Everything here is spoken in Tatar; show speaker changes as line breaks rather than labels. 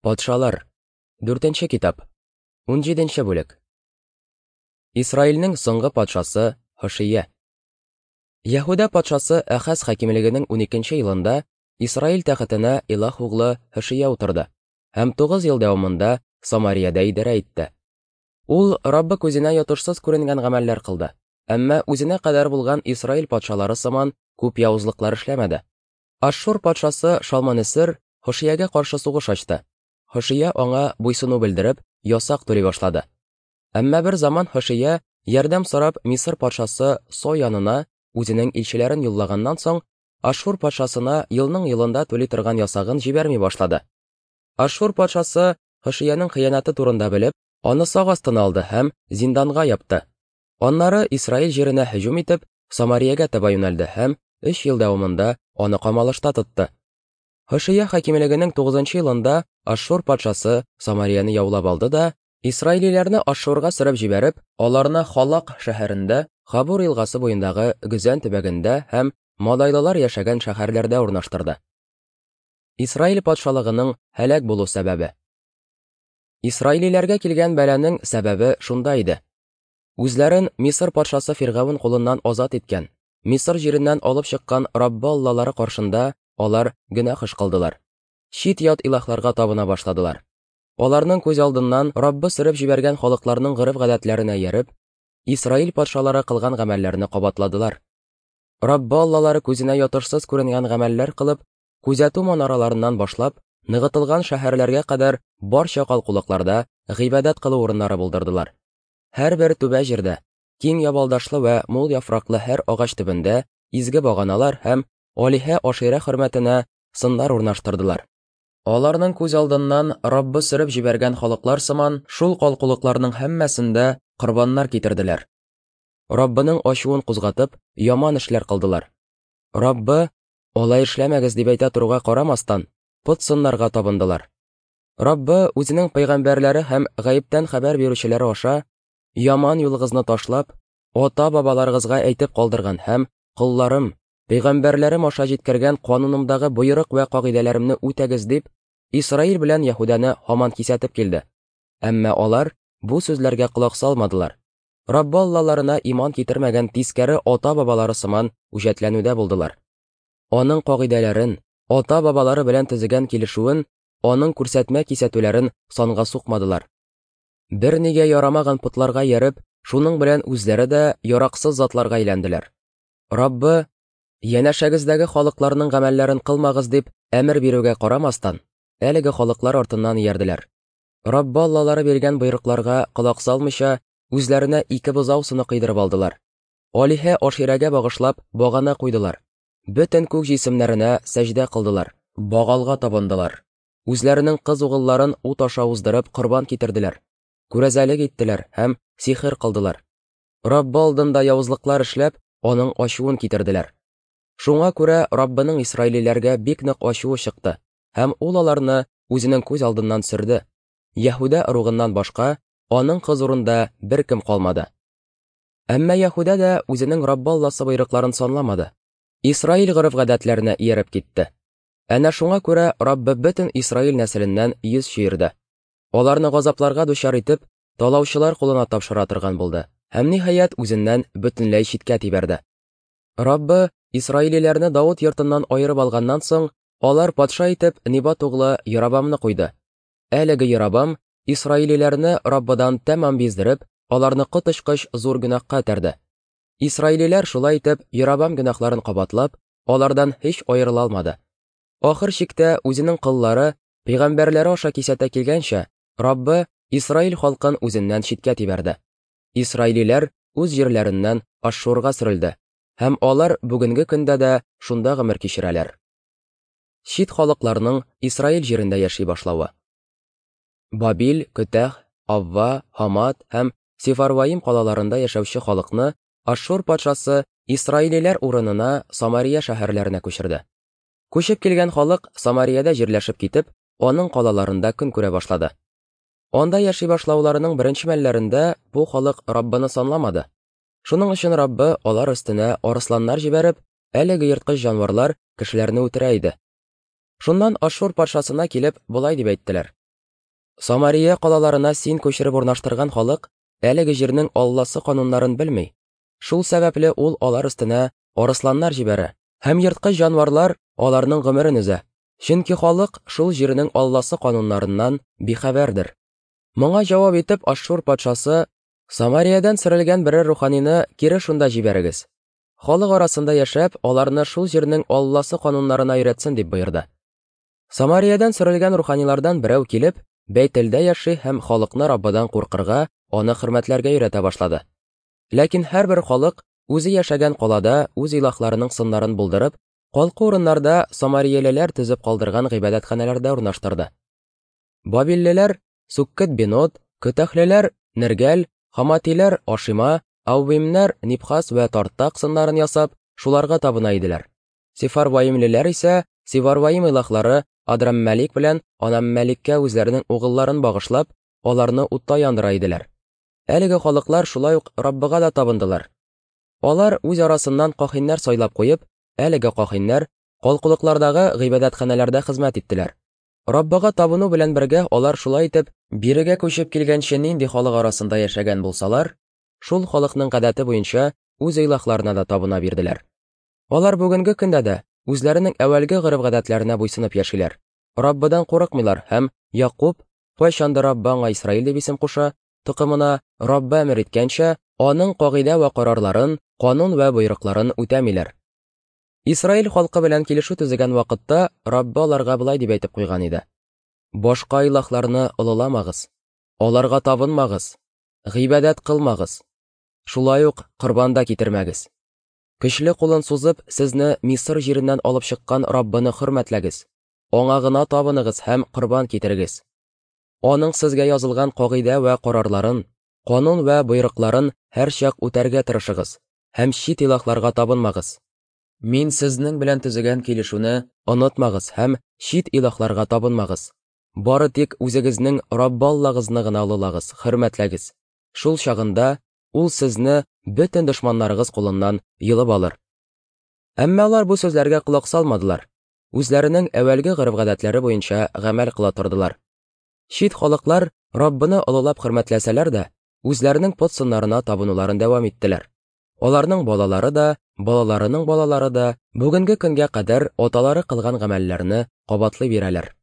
Патшалар. Дүртенче китап. 17 бүлек. Исраилнең соңгы патшасы Һошия. Яһүдә патшасы Әхаз хакимлегенең 12 елында Исраил тәхетенә Илах углы Һошия утырды һәм 9 ел дәвамында Самариядә идарә итте. Ул Раббы күзенә ятышсыз күренгән гамәлләр кылды, әмма үзенә кадәр булган Исраил патшалары сыман күп явызлыклар эшләмәде. Ашшур патшасы Шалманесер Һошиягә каршы сугыш ачты. Һошия аңа буйсыну белдереп, ясак түли башлады. Әмма бер заман Һошия, ярдәм сорап, Мисыр патшасы Со янына үзенең илчеләрен юллаганнан соң, Ашшур патшасына елның-елында түли торган ясагын җибәрми башлады. Ашшур патшасы Һошиянең хыянәте турында белеп, аны сак астына алды һәм зинданга япты. Аннары Исраил җиренә һөҗүм итеп, Самариягә таба юнәлде һәм өч ел дәвамында аны камалышта тотты. Һошия хакимлегенең 9 елында Ашшур патшасы Самарияне яулап алды да, исраилиләрне Ашшурга сөреп җибәреп, аларны Халак шәһәрендә, Хабур елгасы буендагы Гөзән төбәгендә һәм Мадайлылар яшәгән шәһәрләрдә урнаштырды. Исраил патшалыгының һәлак булу сәбәбе. Исраилиләргә килгән бәланең сәбәбе шунда иде. Үзләрен Мисыр патшасы Фиргавен кулыннан азат иткән, Мисыр җиреннән алып чыккан Раббы Аллалары каршында алар гөнаһ эш кылдылар. Чит-ят илаһларга табына башладылар. Аларның күз алдыннан Раббы сөреп җибәргән халыкларның гореф-гадәтләренә ияреп, Исраил патшалары кылган гамәлләрне кабатладылар. Раббы Аллалары күзенә ятышсыз күренгән гамәлләр кылып, күзәтү манараларыннан башлап, ныгытылган шәһәрләргә кадәр барча калкулыкларда гыйбадәт кылу урыннары булдырдылар. Һәрбер түбә җирдә, киң ябалдашлы вә мул яфраклы һәр агач төбендә изге баганалар һәм алиһә Аширә хөрмәтенә сыннар урнаштырдылар. Аларның күз алдыннан Раббы сөреп җибәргән халыклар сыман шул калкулыкларның һәммәсендә корбаннар китерделәр. Раббының ачуын кузгатып, яман эшләр кылдылар. Раббы, алай эшләмәгез дип әйтә торуга карамастан, пот сыннарга табындылар. Раббы үзенең пәйгамбәрләре һәм гаептән хәбәр бирүчеләре аша яман юлыгызны ташлап, ата-бабаларыгызга әйтеп калдырган һәм колларым, пәйгамбәрләрем аша җиткергән канунымдагы боерык вә кагыйдәләремне үтәгез дип, Исраил белән Яһүдәне һаман кисәтеп килде. Әмма алар бу сүзләргә колак салмадылар. Раббы Аллаларына иман китермәгән тискәре ата-бабалары сыман үҗәтләнүдә булдылар. Аның кагыйдәләрен, ата-бабалары белән төзегән килешүен, аның күрсәтмә-кисәтүләрен санга сукмадылар. Бернигә ярамаган потларга ияреп, шуның белән үзләре дә яраксыз затларга әйләнделәр. Раббы, янәшәгездәге халыкларның гамәлләрен кылмагыз дип әмер бирүгә карамастан, әлеге халыклар артыннан иярделәр. Раббы Аллалары биргән боерыкларга колак салмыйча, үзләренә ике бозау сыны кыйдырып алдылар. Алиһә Аширәгә багышлап багана куйдылар. Бөтен күк җисемнәренә сәҗдә кылдылар, Багалга табындылар. Үзләренең кыз угылларын ут аша уздырып корбан китерделәр. Күрәзәлек иттеләр һәм сихер кылдылар. Раббы алдында явызлыклар эшләп, аның ачуын китерделәр. Шуңа күрә Раббының исраилиләргә бик нык ачуы чыкты, һәм ул аларны үзенең күз алдыннан сөрде. Яһүдә ыругыннан башка аның хозурында беркем калмады. Әмма Яһүдә дә үзенең Раббы Алласы боерыкларын санламады. Исраил гореф-гадәтләренә ияреп китте. Әнә шуңа күрә Раббы бөтен Исраил нәселеннән йөз чөерде. Аларны газапларга дучар итеп, талаучылар кулына тапшыра торган булды һәм ниһаять үзеннән бөтенләй читкә тибәрде. Раббы исраилиләрне Давыт йортыннан аерып алганнан соң, алар патша итеп Небат углы Яробамны куйды. Әлеге Яробам исраилиләрне Раббыдан тәмам биздереп, аларны коточкыч зур гөнаһка этәрде. Исраилиләр шулай итеп Яробам гөнаһларын кабатлап, алардан һич аерыла алмады. Ахыр чиктә үзенең коллары, пәйгамбәрләре аша кисәтә килгәнчә, Раббы Исраил халкын үзеннән читкә тибәрде. Исраилиләр үз җирләреннән Ашшурга сөрелде, һәм алар бүгенге көндә дә шунда гомер кичерәләр. Чит халыкларның Исраил җирендә яши башлавы. Бабил, Көтәх, Авва, Һамат һәм Сефарваим калаларында яшәүче халыкны Ашшур патшасы исраилиләр урынына Самария шәһәрләренә күчерде. Күчеп килгән халык Самариядә җирләшеп китеп, аның калаларында көн күрә башлады. Анда яши башлауларының беренче мәлләрендә бу халык Раббыны санламады. Шуның өчен Раббы алар өстенә арысланнар җибәреп, әлеге ерткыч җанварлар кешеләрне үтерә иде. Шуннан Ашшур патшасына килеп, болай дип әйттеләр. Самария калаларына син күчереп урнаштырган халык әлеге җирнең Алласы кануннарын белми. Шул сәбәпле ул алар өстенә арысланнар җибәрә, һәм ерткыч җанварлар аларның гомерен өзә. Чөнки халык шул җирнең Алласы кануннарыннан бихәбәрдер. Моңа җавап итеп Ашшур патшасы Самариядән сөрелгән берәр руханины кире шунда җибәрегез. Халык арасында яшәп, аларны шул җирнең Алласы кануннарына өйрәтсен дип боерды. Самариядән сөрелгән руханилардан берәү килеп, Бәйтелдә яши һәм халыкны Раббыдан куркырга, аны хөрмәтләргә өйрәтә башлады. Ләкин һәрбер халык үзе яшәгән калада үз илаһларының сыннарын булдырып, калку урыннарда самариялеләр төзеп калдырган гыйбадәтханәләрдә урнаштырды. Бабиллеләр Суккет-Бенот, Көтәхлеләр Нергәл, Хаматиләр Ашима, Аувимнәр Нибхас вә Тартак сыннарын ясап, шуларга табына иделәр. Сефарваимлеләр исә Севарваим илаһлары Адраммәлик белән Анаммәликкә үзләренең угылларын багышлап, аларны утта яндыра иделәр. Әлеге халыклар шулай ук Раббыга да табындылар. Алар үз арасыннан кахиннәр сайлап куеп, әлеге кахиннәр калкулыклардагы гыйбадәтханәләрдә хезмәт иттеләр. Раббыга табыну белән бергә алар шулай итеп бирегә күчеп килгәнче нинди халык арасында яшәгән булсалар, шул халыкның гадәте буенча үз илаһларына да табына бирделәр. Алар бүгенге көндә дә үзләренең әүвәлге гореф-гадәтләренә буйсынып яшиләр. Раббыдан курыкмыйлар һәм Якуб, кайчандыр Раббы аңа Исраил дип исем куша, токымына Раббы әмер иткәнчә, аның кагыйдә вә карарларын, канун вә боерыкларын үтәмиләр. Исраил халкы белән килешү төзегән вакытта Раббы аларга болай дип әйтеп куйган иде: Башка илаһларны олыламагыз, аларга табынмагыз, гыйбадәт кылмагыз, шулай ук корбан да китермәгез. Көчле кулын сузып, сезне Мисыр җиреннән алып чыккан Раббыны хөрмәтләгез, аңа гына табыныгыз һәм корбан китерегез. Аның сезгә язылган кагыйдә вә карарларын, канун вә боерыкларын һәрчак үтәргә тырышыгыз һәм чит илаһларга табынмагыз. Мин сезнең белән төзегән килешүне онытмагыз һәм чит илаһларга табынмагыз. Бары тик үзегезнең Раббы Аллагызны гына олылагыз, хөрмәтләгез. Шул чагында ул сезне бөтен дошманнарыгыз кулыннан йолып алыр. Әмма алар бу сүзләргә колак салмадылар, үзләренең әүвәлге гореф-гадәтләре буенча гамәл кыла тордылар. Чит халыклар Раббыны олылап хөрмәтләсәләр дә, үзләренең пот сыннарына табынуларын дәвам иттеләр. Аларның балалары да, балаларының балалары да бүгенге көнгә кадәр аталары кылган гамәлләрне кабатлый бирәләр.